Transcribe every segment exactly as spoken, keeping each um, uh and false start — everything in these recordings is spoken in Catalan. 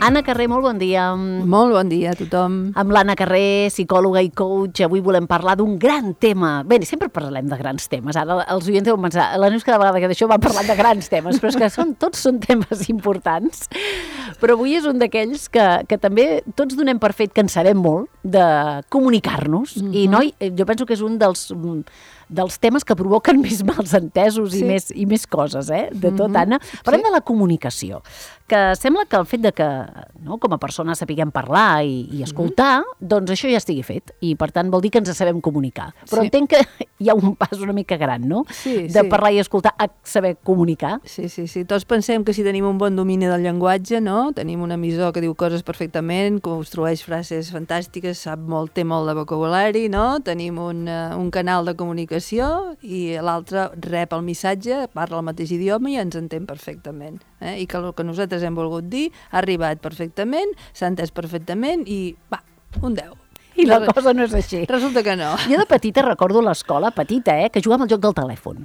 Anna Carré, molt bon dia. Molt bon dia a tothom. Amb l'Anna Carré, psicòloga i coach, avui volem parlar d'un gran tema. Bé, sempre parlem de grans temes. Ara els oients deuen pensar, la Neus cada vegada que d'això va parlant de grans temes, però és que són, tots són temes importants. Però avui és un d'aquells que, que també tots donem per fet que en sabem molt de comunicar-nos. Mm-hmm. I noi, jo penso que és un dels... dels temes que provoquen més malsentesos sí. i, més, i més coses, eh? De tot, mm-hmm. Anna. Parlem sí. de la comunicació, que sembla que el fet de que no, com a persona sapiguem parlar i, i escoltar, mm-hmm. doncs això ja estigui fet, i per tant vol dir que ens sabem comunicar. Però sí. entenc que hi ha un pas una mica gran, no? Sí, de sí. parlar i escoltar a saber comunicar. Sí, sí, sí. Tots pensem que si tenim un bon domini del llenguatge, no? Tenim un emissor que diu coses perfectament, construeix frases fantàstiques, sap molt, té molt de vocabulari, no? Tenim un, uh, un canal de comunicació i l'altre rep el missatge, parla el mateix idioma i ens entén perfectament. Eh? I que el que nosaltres hem volgut dir ha arribat perfectament, s'ha entès perfectament i, va, un deu. I la cosa no és així. Resulta que no. Jo de petita recordo a l'escola, petita, eh, que jugàvem al joc del telèfon.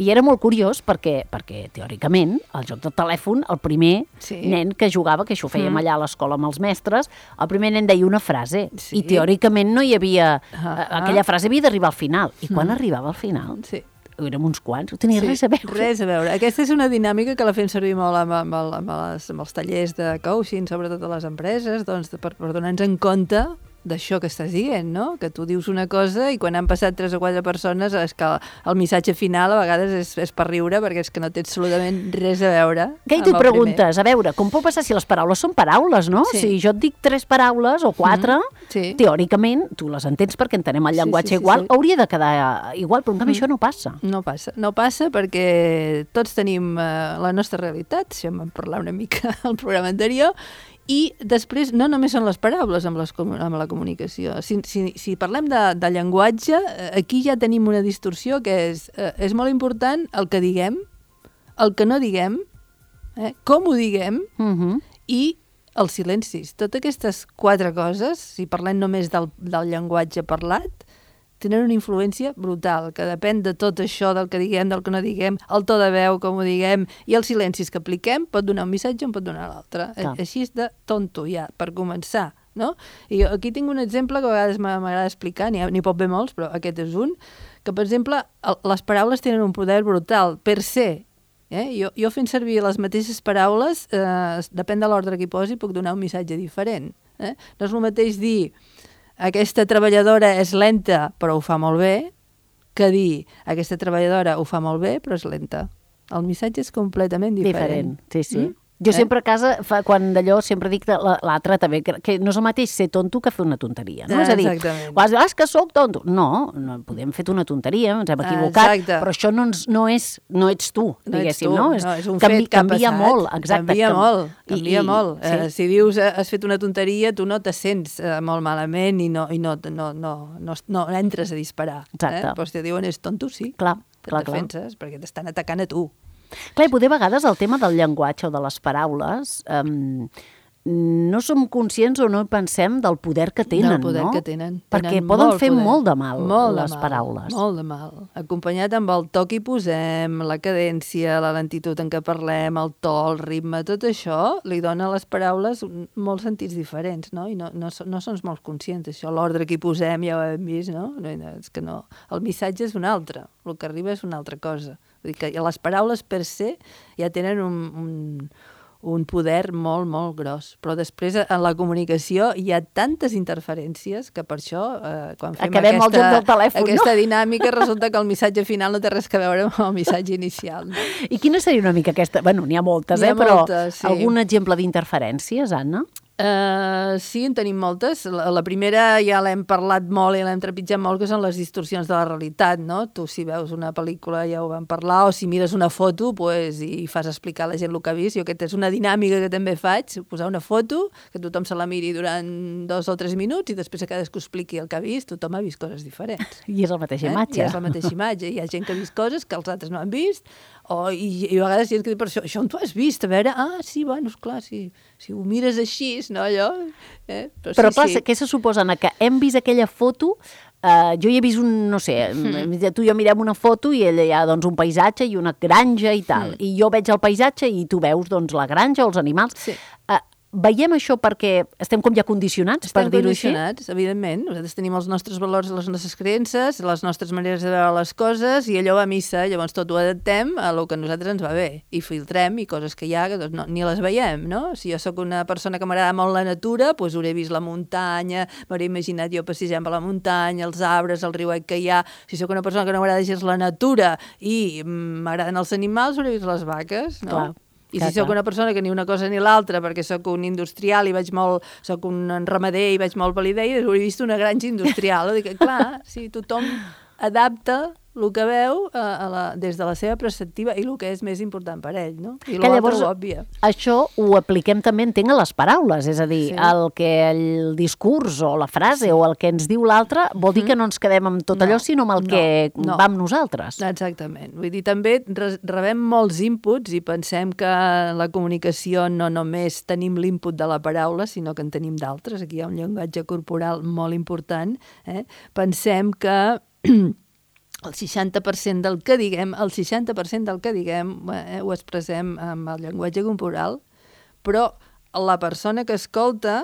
I era molt curiós perquè, perquè teòricament, el joc del telèfon, el primer sí. nen que jugava, que això ho fèiem mm. allà a l'escola amb els mestres, el primer nen deia una frase. Sí. I teòricament no hi havia... Uh -huh. Aquella frase havia d'arribar al final. I quan mm. arribava al final... Sí. Érem uns quants, no tenia sí, res a veure. Res a veure. Aquesta és una dinàmica que la fem servir molt amb, amb, el, amb, les, amb els tallers de coaching, sobretot a les empreses, doncs, per, per donar-nos en compte d'això que estàs dient, no? Que tu dius una cosa i quan han passat tres o quatre persones és que el missatge final a vegades és, és per riure perquè és que no té absolutament res a veure. Què hi tu preguntes? A veure, com pot passar si les paraules són paraules, no? Sí. Si jo et dic tres paraules o quatre, mm, sí. teòricament, tu les entens perquè entenem el llenguatge sí, sí, sí, igual, sí. hauria de quedar igual, però en canvi mm. això no passa. No passa. No passa perquè tots tenim uh, la nostra realitat, si en vam parlar una mica al programa anterior, i després no només són les paraules amb, les, amb la comunicació. Si, si, si parlem de, de llenguatge, aquí ja tenim una distorsió que és, eh, és molt important el que diguem, el que no diguem, eh, com ho diguem uh-huh. i els silencis. Totes aquestes quatre coses, si parlem només del, del llenguatge parlat, tenen una influència brutal, que depèn de tot això, del que diguem, del que no diguem, el to de veu, com ho diguem, i els silencis que apliquem, pot donar un missatge o en pot donar l'altre. Ah. Així és de tonto, ja, per començar, no? I jo aquí tinc un exemple que a vegades m'agrada explicar, n'hi pot haver molts, però aquest és un, que, per exemple, les paraules tenen un poder brutal, per ser. Eh? Jo, jo fent servir les mateixes paraules, eh, depèn de l'ordre que hi posi, puc donar un missatge diferent. Eh? No és el mateix dir aquesta treballadora és lenta però ho fa molt bé, que dir aquesta treballadora ho fa molt bé però és lenta. El missatge és completament diferent. Diferent, sí, sí. Mm? Jo eh? sempre a casa, fa, quan d'allò, sempre dic l'altre també, que, que no és el mateix ser tonto que fer una tonteria. No? Ah, és a dir, ah, és que sóc tonto. No, no podem fer una tonteria, ens hem equivocat, exacte. Però això no, ens, no, és, no ets tu, no diguéssim. Ets tu. No? No, és un canvi, fet que ha canvia passat. molt, exacte. Canvia molt, canvia I, molt. I, eh, sí. Si dius has fet una tonteria, tu no te sents eh, molt malament i no, i no, no, no, no, no entres a disparar. Exacte. Eh? Però si te diuen és tonto, sí. Clar, te clar, defenses, clar. Perquè t'estan atacant a tu. Clar, i poder a vegades el tema del llenguatge o de les paraules um, no som conscients o no pensem del poder que tenen, del poder no? que tenen. Perquè tenen poden molt fer poder. molt de mal, molt les de mal, paraules. Molt de mal. Acompanyat amb el to que hi posem, la cadència, la lentitud en què parlem, el to, el ritme, tot això li dona a les paraules molts sentits diferents, no? I no, no, no som molt conscients d'això. L'ordre que hi posem ja ho hem vist, no? És que no. El missatge és un altre, el que arriba és una altra cosa. Vull dir que les paraules per se ja tenen un, un, un poder molt, molt gros. Però després en la comunicació hi ha tantes interferències que per això, eh, quan fem Acabem aquesta, el joc del telèfon, aquesta no? dinàmica, resulta que el missatge final no té res a veure amb el missatge inicial. No? I quina seria una mica aquesta? Bueno, n'hi ha moltes, n'hi ha eh? Però moltes, sí. Algun exemple d'interferències, Anna? Uh, sí, en tenim moltes. La, la primera ja l'hem parlat molt i l'hem trepitjat molt, que són les distorsions de la realitat, no? Tu si veus una pel·lícula ja ho vam parlar, o si mires una foto pues, i fas explicar a la gent el que ha vist. Jo aquesta és una dinàmica que també faig, posar una foto, que tothom se la miri durant dos o tres minuts i després que cadascú expliqui el que ha vist, tothom ha vist coses diferents. I és la mateixa eh? imatge. I és la mateixa imatge. Hi ha gent que ha vist coses que els altres no han vist, o, i, i a vegades hi ha gent que diu, però això, això on tu has vist? A veure, ah, sí, bueno, esclar, si, si ho mires així, no, allò... Eh? Però, però sí, clar, sí. què se suposa, Anna, que hem vist aquella foto, eh, jo hi he vist un, no sé, mm. tu i jo mirem una foto i ella hi ha doncs, un paisatge i una granja i tal, mm. i jo veig el paisatge i tu veus doncs, la granja o els animals. Sí. Eh, veiem això perquè estem com ja condicionats, estem per dir-ho així? Estem condicionats, evidentment. Nosaltres tenim els nostres valors, les nostres creences, les nostres maneres de veure les coses i allò va a missa, llavors tot ho adaptem a lo que a nosaltres ens va bé i filtrem i coses que hi ha que doncs, no, ni les veiem, no? Si jo sóc una persona que m'agrada molt la natura, doncs hauré vist la muntanya, m'hauré imaginat jo passejant per la muntanya, els arbres, el riuet que hi ha. Si sóc una persona que no m'agrada gens la natura i m'agraden els animals, hauré vist les vaques, no? Clar. I si sóc una persona que ni una cosa ni l'altra, perquè sóc un industrial i vaig molt, sóc un ramader i vaig molt pel idea, hauré vist una granja industrial. Dic, clar, sí, tothom adapta el que veu a, a la, des de la seva perspectiva i el que és més important per ell, no? I l'altre ho òbvia. Això ho apliquem també, entenc, a les paraules, és a dir, sí. el que el discurs o la frase sí. o el que ens diu l'altre vol dir que no ens quedem amb tot no, allò, sinó amb el no, que no. va amb nosaltres. Exactament. Vull dir, també rebem molts inputs i pensem que la comunicació no només tenim l'input de la paraula, sinó que en tenim d'altres. Aquí hi ha un llenguatge corporal molt important. Eh? Pensem que el seixanta per cent del que diguem, el seixanta per cent del que diguem eh, ho expressem amb el llenguatge corporal, però la persona que escolta,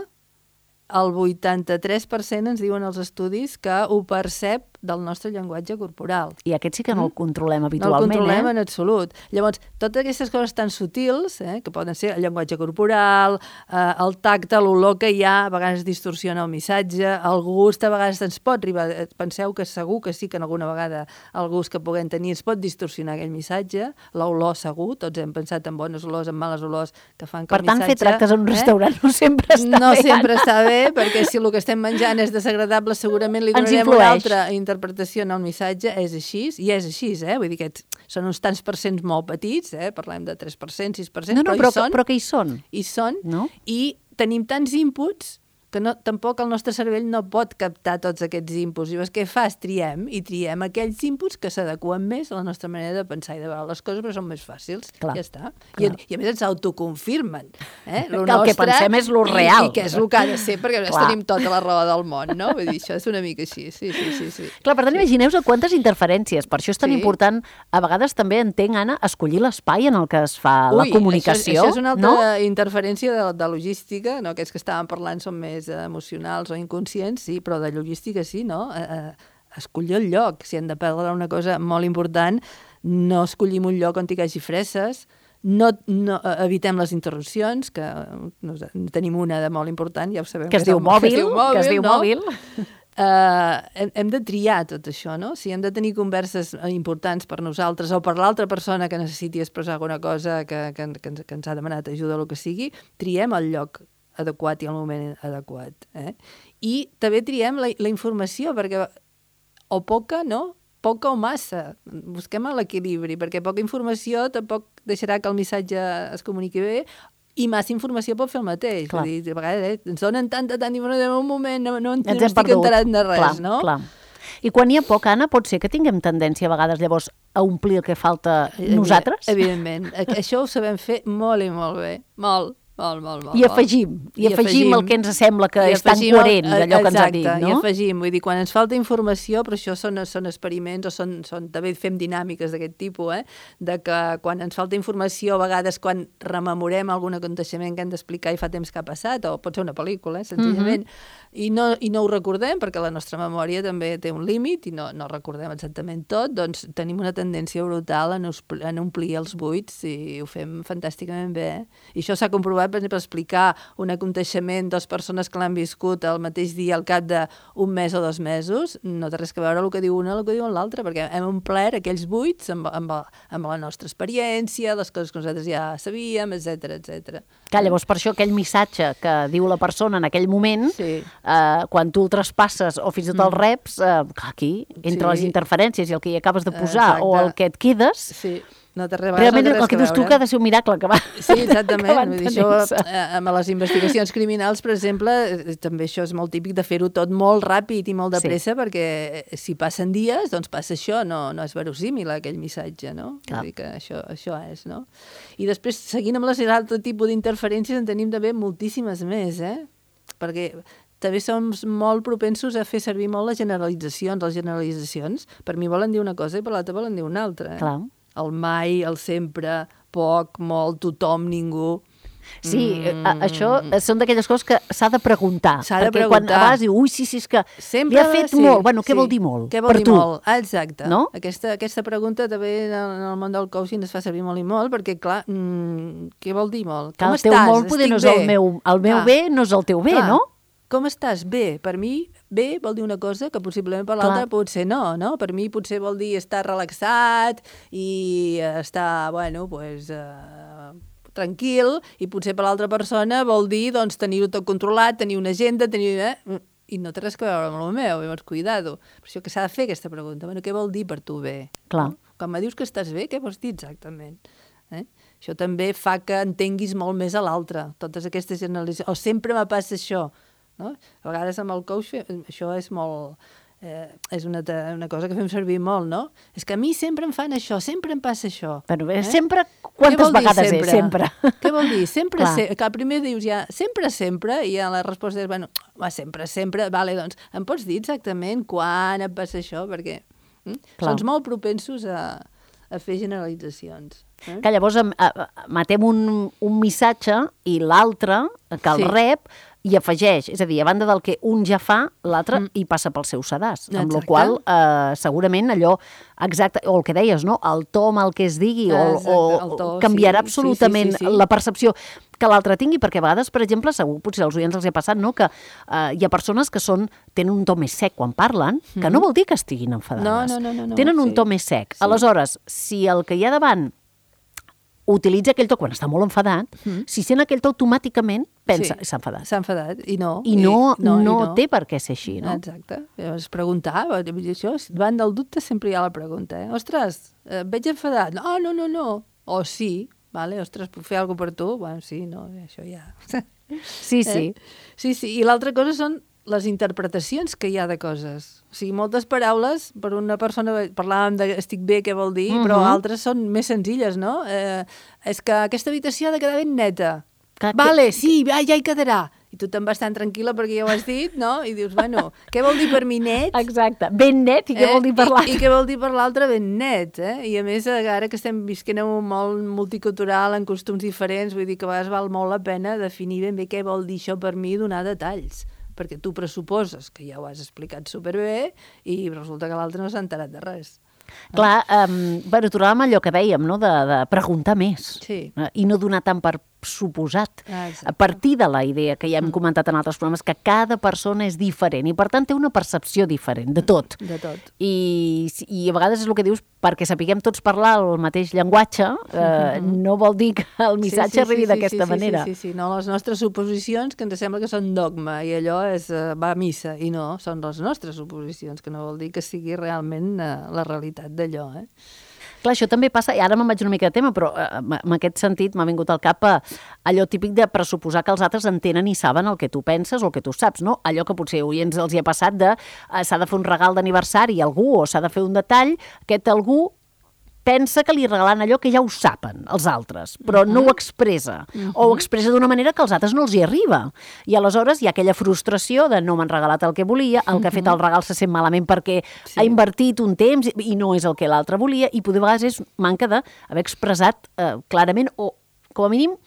el vuitanta-tres per cent ens diuen els estudis que ho percep del nostre llenguatge corporal. I aquest sí que no el controlem habitualment, eh? No el controlem eh? en absolut. Llavors, totes aquestes coses tan sutils, eh, que poden ser el llenguatge corporal, eh, el tacte, l'olor que hi ha, a vegades distorsiona el missatge, el gust a vegades ens pot arribar... Penseu que segur que sí que en alguna vegada el gust que puguem tenir ens pot distorsionar aquell missatge, l'olor segur, tots hem pensat en bones olors, en males olors que fan que per el missatge... Per tant, fer tractes en un restaurant eh? no sempre està no bé. No sempre està bé, perquè si el que estem menjant és desagradable, segurament li donarem una altra interpretació en el missatge, és així, i és així, eh? Vull dir que són uns tants percents molt petits, eh? Parlem de tres per cent, sis per cent, no, no, però, però, hi són. Però que hi són. Hi són, no? I tenim tants inputs que no, tampoc el nostre cervell no pot captar tots aquests inputs. I llavors què fas? Triem, i triem aquells inputs que s'adequen més a la nostra manera de pensar i de veure les coses, però són més fàcils. Clar, ja està. I, I a més ens autoconfirmen. Eh? Lo que el nostre, que pensem és lo real. I, i que és el que ha de ser, perquè a tenim tota la raó del món, no? Vull dir, això és una mica així, sí, sí, sí. sí. Clar, per tant, sí. Imagineu-vos quantes interferències. Per això és tan sí. important, a vegades també entenc, Anna, escollir l'espai en el que es fa Ui, la comunicació. Això, això és una altra no? interferència de, de logística, no? Aquests que estàvem parlant són més eh, emocionals o inconscients, sí, però de logística sí, no? Eh, eh, escollir el lloc. Si hem de perdre una cosa molt important, no escollim un lloc on hi hagi fresses, no, no evitem les interrupcions, que no, tenim una de molt important, ja ho sabem. Que es diu mòbil, que es diu mòbil. Que es diu no? mòbil. Uh, hem, hem de triar tot això, no? Si hem de tenir converses importants per nosaltres o per l'altra persona que necessiti expressar alguna cosa que, que, que, ens, que ens ha demanat ajuda o el que sigui, triem el lloc adequat i el moment adequat. Eh? I també triem la, la informació, perquè o poca, no? Poca o massa. Busquem l'equilibri, perquè poca informació tampoc deixarà que el missatge es comuniqui bé, i massa informació pot fer el mateix. Vull dir, a vegades eh, ens donen tanta, tanta informació en un moment, no, no, no estic enterat de res, clar, no? Clar. I quan hi ha poc, Anna, pot ser que tinguem tendència a vegades llavors a omplir el que falta nosaltres? Evidentment. Això ho sabem fer molt i molt bé. Molt. Molt, molt, molt, I afegim, i, I afegim, afegim el que ens sembla que és tan coherent d'allò que ens ha dit, no? I afegim, vull dir, quan ens falta informació, però això són, són experiments o són, són, també fem dinàmiques d'aquest tipus, eh? De que quan ens falta informació, a vegades quan rememorem algun aconteixement que hem d'explicar i fa temps que ha passat, o pot ser una pel·lícula, eh? Senzillament, mm-hmm. i, no, i no ho recordem, perquè la nostra memòria també té un límit i no, no recordem exactament tot, doncs tenim una tendència brutal a, nos, a omplir els buits i ho fem fantàsticament bé. Eh? I això s'ha comprovat, per exemple, explicar un aconteixement, dues persones que l'han viscut el mateix dia al cap d'un mes o dos mesos, no té res que veure el que diu una i el que diu l'altra, perquè hem omplert aquells buits amb, amb, amb la nostra experiència, les coses que nosaltres ja sabíem, etcètera, etcètera. Clar, llavors per això aquell missatge que diu la persona en aquell moment, sí. eh, quan tu el traspasses o fins i tot el reps, eh, clar, aquí, entre sí. les interferències i el que hi acabes de posar Exacte. O el que et quedes... Sí. No realment no el que, que dius tu que ha de ser un miracle que va. Sí, exactament. Vull dir, això, amb les investigacions criminals, per exemple, també això és molt típic de fer-ho tot molt ràpid i molt de pressa, sí. perquè si passen dies, doncs passa això, no, no és verosímil aquell missatge, no? Vull dir que això, això és, no? I després, seguint amb les altre tipus d'interferències, en tenim també moltíssimes més, eh? Perquè també som molt propensos a fer servir molt les generalitzacions. Les generalitzacions, per mi volen dir una cosa i per l'altra volen dir una altra. Eh? Clar. El mai, el sempre, poc, molt, tothom, ningú. Sí, mm. això són d'aquelles coses que s'ha de preguntar. S'ha de perquè preguntar. Quan a vegades diu, ui, sí, sí, és que Sempre, li ha fet sí, molt. Bueno, què sí. vol dir molt? Què vol per dir tu? molt? Exacte. No? Aquesta, aquesta pregunta també en el món del coaching es fa servir molt i molt, perquè, clar, mmm, què vol dir molt? Que Com el teu estàs? molt poder Estic no és el bé. meu, el meu Clar. bé no és el teu bé, Clar. no? Com estàs? Bé. Per mi, bé vol dir una cosa que possiblement per l'altra potser no, no? Per mi potser vol dir estar relaxat i estar, bueno, pues, eh, tranquil, i potser per l'altra persona vol dir, doncs, tenir-ho tot controlat, tenir una agenda, tenir... Eh? I no té res a veure amb el meu, llavors, cuidado. Per això que s'ha de fer aquesta pregunta. Bueno, què vol dir per tu bé? Clar. No? Quan me dius que estàs bé, què vols dir exactament? Eh? Això també fa que entenguis molt més a l'altre, totes aquestes generalitzacions. O sempre me passa això, no? A vegades amb el coach això és molt... Eh, és una, una cosa que fem servir molt, no? És que a mi sempre em fan això, sempre em passa això. Però bé, eh? sempre, quantes vegades sempre? és? Sempre. Què vol dir? Sempre, Clar. se, que primer dius ja, sempre, sempre, i ja la resposta és, bueno, va, sempre, sempre, vale, doncs, em pots dir exactament quan et passa això? Perquè hm? Sons molt propensos a, a fer generalitzacions. Eh? Que llavors em, a, matem un, un missatge i l'altre, que el Sí. rep, i afegeix, és a dir, a banda del que un ja fa, l'altre mm. hi passa pel seu sedàs, amb la qual eh, segurament allò exacte, o el que deies, no? El to amb el que es digui, Exacte, o, el o to, canviarà sí, absolutament sí, sí, sí, sí. la percepció que l'altre tingui, perquè a vegades, per exemple, segur, potser als oients els ha passat, no?, que eh, hi ha persones que són, tenen un to més sec quan parlen, que Mm-hmm. no vol dir que estiguin enfadades. No, no, no, no, no, tenen un sí. to més sec. Sí. Aleshores, si el que hi ha davant utilitza aquell to quan està molt enfadat, mm. si sent aquell to automàticament pensa, Sí. s'ha enfadat. S'ha enfadat, i no. I no, i, no, no, i no té per què ser així, no? Exacte. Llavors, preguntar, això, davant del dubte sempre hi ha la pregunta, eh? Ostres, eh, veig enfadat. No, no, no, no. O sí, vale? Ostres, puc fer alguna cosa per tu? Bueno, sí, no, això ja... Sí, sí. Eh? Sí, sí. I l'altra cosa són les interpretacions que hi ha de coses. O sigui, moltes paraules, per una persona, parlàvem de estic bé, què vol dir, uh -huh. però altres són més senzilles, no? Eh, és que aquesta habitació ha de quedar ben neta. Que, vale, que... sí, ja, ja hi quedarà. I tu te'n vas tan tranquil·la perquè ja ho has dit, no? I dius, bueno, què vol dir per mi net? Exacte. Ben net, i què eh? vol dir per l'altre? I, I què vol dir per l'altre ben net, eh? I a més, ara que estem visquent en un món multicultural, en costums diferents, vull dir que a vegades val molt la pena definir ben bé què vol dir això per mi i donar detalls, perquè tu pressuposes que ja ho has explicat superbé i resulta que l'altre no s'ha enterat de res. Clar, um, bueno, tornàvem a allò que dèiem, no?, de, de preguntar més. Sí. Eh, I no donar tant per suposat. Ah, a partir de la idea que ja hem comentat en altres programes, que cada persona és diferent i, per tant, té una percepció diferent de tot. De tot. I, i a vegades és el que dius, perquè sapiguem tots parlar el mateix llenguatge, eh, mm-hmm. no vol dir que el missatge sí, sí, arribi sí, d'aquesta sí, manera. Sí, sí, sí, no les nostres suposicions, que ens sembla que són dogma, i allò és, uh, va a missa, i no, són les nostres suposicions, que no vol dir que sigui realment uh, la realitat d'allò, eh? Clar, això també passa, i ara me'n vaig una mica de tema, però eh, en aquest sentit m'ha vingut al cap eh, allò típic de pressuposar que els altres entenen i saben el que tu penses o el que tu saps, no? Allò que potser avui ens els hi ha passat de eh, s'ha de fer un regal d'aniversari a algú o s'ha de fer un detall, aquest algú pensa que li regalen allò que ja ho saben els altres, però uh-huh. no ho expressa, uh-huh. o ho expressa d'una manera que als altres no els hi arriba. I aleshores hi ha aquella frustració de no m'han regalat el que volia, el que ha fet el regal se sent malament perquè sí. ha invertit un temps i no és el que l'altre volia, i poder a vegades és manca d'haver expressat eh, clarament, o com a mínim,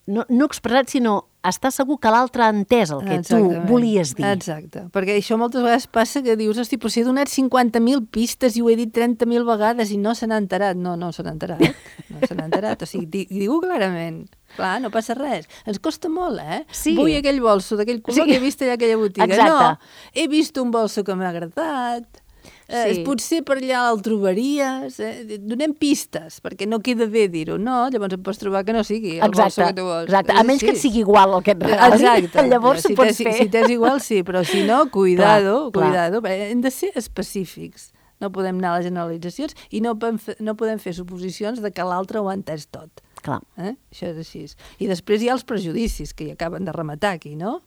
no, no expressat, sinó estar segur que l'altre ha entès el que Exactament. Tu volies dir. Exacte, perquè això moltes vegades passa que dius, hosti, però si he donat cinquanta mil pistes i ho he dit trenta mil vegades i no se n'ha enterat. No, no se n'ha enterat, no se n'ha enterat. O sigui, digue-ho clarament. Clar, no passa res. Ens costa molt, eh? Sí. Vull aquell bolso d'aquell color sí. que he vist allà a aquella botiga. Exacte. No, he vist un bolso que m'ha agradat. Sí. Eh, potser per allà el trobaries, eh? Donem pistes, perquè no queda bé dir-ho, no? Llavors et pots trobar que no sigui el exacte, bolso que tu vols. Exacte, a menys que et sigui igual el que et regalin, exacte. llavors si ho pots si, fer. Si t'és igual, sí, però si no, cuidado, clar, cuidado, clar. Hem de ser específics. No podem anar a les generalitzacions i no podem fer, no podem fer suposicions de que l'altre ho ha entès tot. Clar. Eh? Això és així. I després hi ha els prejudicis que hi acaben de rematar aquí, no?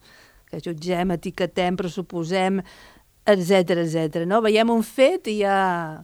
Que jutgem, etiquetem, pressuposem, etcètera, etcètera, no? Veiem un fet i ja...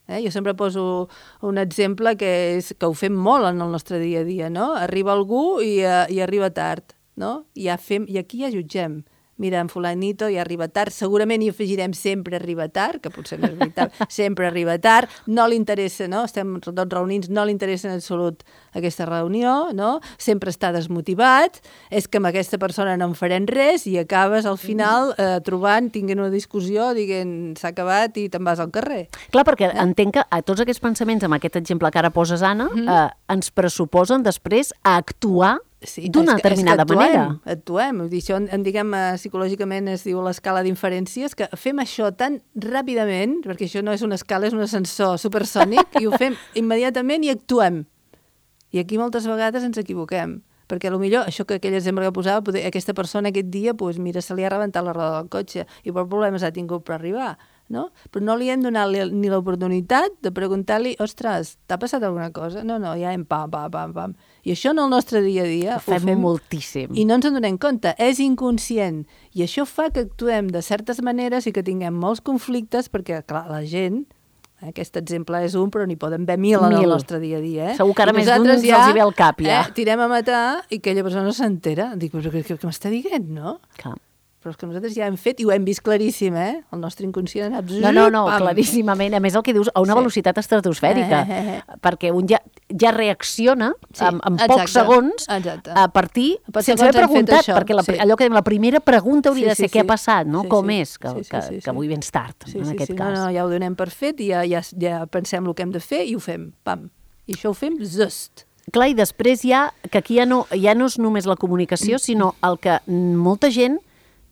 Eh? Jo sempre poso un exemple que, és, que ho fem molt en el nostre dia a dia, no? Arriba algú i, uh, i arriba tard, no? I, ja fem, i aquí ja jutgem. mira, en fulanito ja arriba tard, segurament hi afegirem sempre arriba tard, que potser no és veritat, sempre arriba tard, no li interessa, no? Estem tots reunits, no li interessa en absolut aquesta reunió, no? Sempre està desmotivat, és que amb aquesta persona no en farem res i acabes al final eh, trobant, tinguent una discussió, dient s'ha acabat i te'n vas al carrer. Clar, perquè eh? entenc que a tots aquests pensaments, amb aquest exemple que ara poses, Anna, mm. eh, ens pressuposen després a actuar sí, d'una determinada actuem, manera. Actuem, vull dir, això en, en diguem, psicològicament es diu l'escala d'inferències, que fem això tan ràpidament, perquè això no és una escala, és un ascensor supersònic, i ho fem immediatament i actuem. I aquí moltes vegades ens equivoquem, perquè potser això que aquell exemple que posava, poder, aquesta persona aquest dia, pues, mira, se li ha rebentat la roda del cotxe i per problemes ha tingut per arribar. No? Però no li hem donat ni l'oportunitat de preguntar-li, ostres, t'ha passat alguna cosa? No, no, ja hem pam, pam, pam, pam. I això en el nostre dia a dia ho fem, ho fem moltíssim. I no ens en donem compte, és inconscient. I això fa que actuem de certes maneres i que tinguem molts conflictes perquè, clar, la gent, aquest exemple és un, però n'hi poden haver mil, mil en el nostre dia a dia. Eh? Segur que ara més d'un ja, els hi ve al cap, ja. Eh, tirem a matar i aquella persona no s'entera. Dic, però què, què m'està dient, no? Clar. Però és que nosaltres ja hem fet i ho hem vist claríssim, eh? El nostre inconscient ha anat... No, no, no, pam. Claríssimament. A més, el que dius, a una sí. velocitat estratosfèrica, eh, eh, eh. perquè un ja, ja reacciona sí, en, en pocs segons exacte. A partir, per sense haver preguntat, perquè la, sí. allò que dèiem, la primera pregunta hauria sí, de ser sí, què sí. ha passat, no? Sí, Com sí. és, que, sí, sí, que, sí, sí. que avui vens tard, sí, en sí, aquest sí. cas. No, no, ja ho donem per fet i ja, ja, ja pensem el que hem de fer i ho fem, pam. I això ho fem just. Clar, i després hi ha, que aquí ja no, ja no és només la comunicació, sinó el que molta gent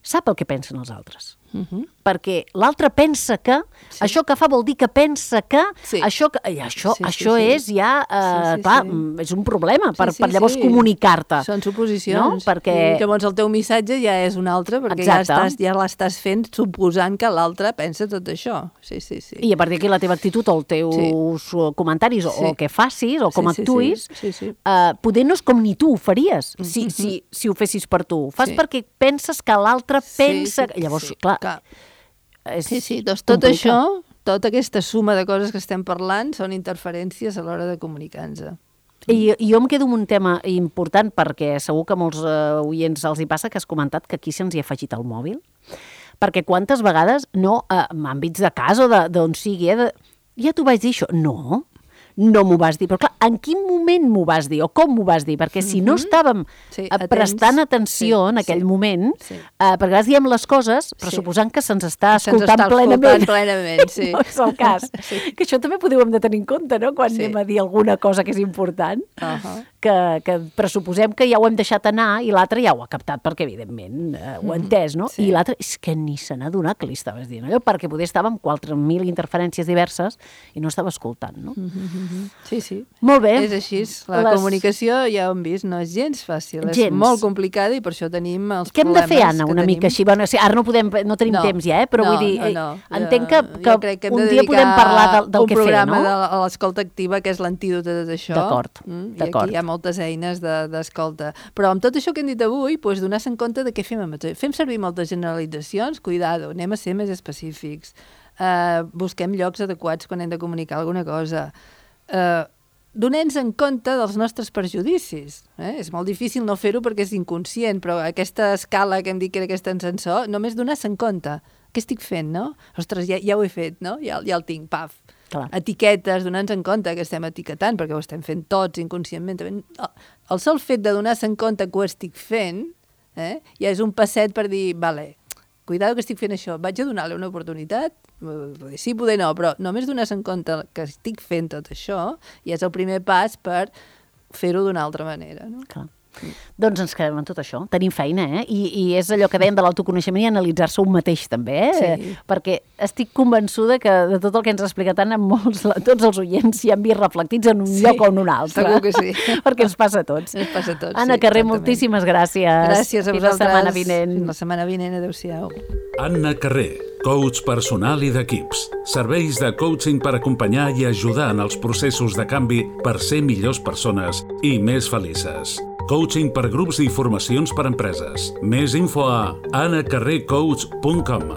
sap el que pensen els altres. Uh-huh. Perquè l'altre pensa que, sí. això que fa vol dir que pensa que, sí. això, que, i això, sí, sí, això sí. és ja, eh, sí, sí, clar, sí. és un problema per, sí, sí, per llavors sí. comunicar-te. Són suposicions. No? Perquè... I llavors el teu missatge ja és un altre, perquè ja, estàs, ja l'estàs fent suposant que l'altre pensa tot això. Sí, sí, sí. I a partir d'aquí la teva actitud o els teus sí. comentaris o sí. el que facis o com sí, sí, actuïs, sí, sí, sí. Eh, poder no és com ni tu ho faries, mm-hmm. si, si, si ho fessis per tu. Ho fas sí. perquè penses que l'altre sí, pensa... Sí, llavors, sí, clar... clar. Sí, sí, doncs tot complicat. Això, tota aquesta suma de coses que estem parlant són interferències a l'hora de comunicar-nos. I, I jo em quedo amb un tema important perquè segur que molts uh, oients els hi passa que has comentat que aquí se'ns hi ha afegit el mòbil. Perquè quantes vegades, no, uh, en àmbits de casa o d'on sigui, eh, de, ja t'ho vaig dir això. No, no m'ho vas dir. Però clar, en quin moment m'ho vas dir o com m'ho vas dir? Perquè si no estàvem sí, prestant atenció sí, en aquell sí, moment, sí. Uh, perquè vegades diem les coses pressuposant sí. que se'ns està escoltant està plenament. plenament sí. No és el cas. Sí. Que això també podeu hem de tenir en compte, no?, quan sí. anem a dir alguna cosa que és important, uh-huh. que, que pressuposem que ja ho hem deixat anar i l'altre ja ho ha captat perquè, evidentment, uh, ho ha entès, no? Sí. I l'altre és que ni se n'ha donat que li estaves dient allò, perquè poder estava amb quatre mil interferències diverses i no estava escoltant, no? Uh-huh. Sí, sí. Molt bé. És així. La Les... comunicació, ja ho hem vist, no és gens fàcil. Gens. És molt complicada i per això tenim els Què problemes. Què hem de fer, Anna, una tenim... mica així? Bueno, ara no, podem, no tenim no, temps ja, eh? Però no, vull dir, no, no. entenc que, que, que un dia podem parlar del, del que fer, no? Un programa de l'escolta activa, que és l'antídot de tot això. D'acord, mm? d'acord. I aquí hi ha moltes eines d'escolta. De, Però amb tot això que hem dit avui, doncs, donar-se en compte de què fem. Fem servir moltes generalitzacions, cuidado, anem a ser més específics. Uh, busquem llocs adequats quan hem de comunicar alguna cosa. Uh, Donem-nos en compte dels nostres perjudicis. Eh? És molt difícil no fer-ho perquè és inconscient, però aquesta escala que hem dit que era aquest ascensor, només donar-se en compte. Què estic fent, no? Ostres, ja, ja ho he fet, no? Ja, ja el tinc, paf. Clar. Etiquetes, donar-nos en compte que estem etiquetant, perquè ho estem fent tots inconscientment. El sol fet de donar-se en compte que ho estic fent, eh? ja és un passet per dir, vale, cuidado que estic fent això, vaig a donar-li una oportunitat? Sí, poder no, però només donar-se en compte que estic fent tot això i és el primer pas per fer-ho d'una altra manera. No? Clar. Mm. Doncs ens quedem amb tot això. Tenim feina, eh? I, i és allò que dèiem de l'autoconeixement i analitzar-se un mateix, també, eh? Sí. Perquè estic convençuda que de tot el que ens ha explicat Anna, molts, tots els oients s'hi han vist reflectits en un sí, lloc o en un altre. Segur que sí. Perquè ens passa a tots. Ens passa a tots, Anna sí, Carrer, exactament. Moltíssimes gràcies. Gràcies a vosaltres. Fins la setmana vinent. Fins la setmana vinent, adéu-siau. Anna Carrer, coach personal i d'equips. Serveis de coaching per acompanyar i ajudar en els processos de canvi per ser millors persones i més felices. Coaching per grups i formacions per empreses. Més info a anna carrer coach punt com.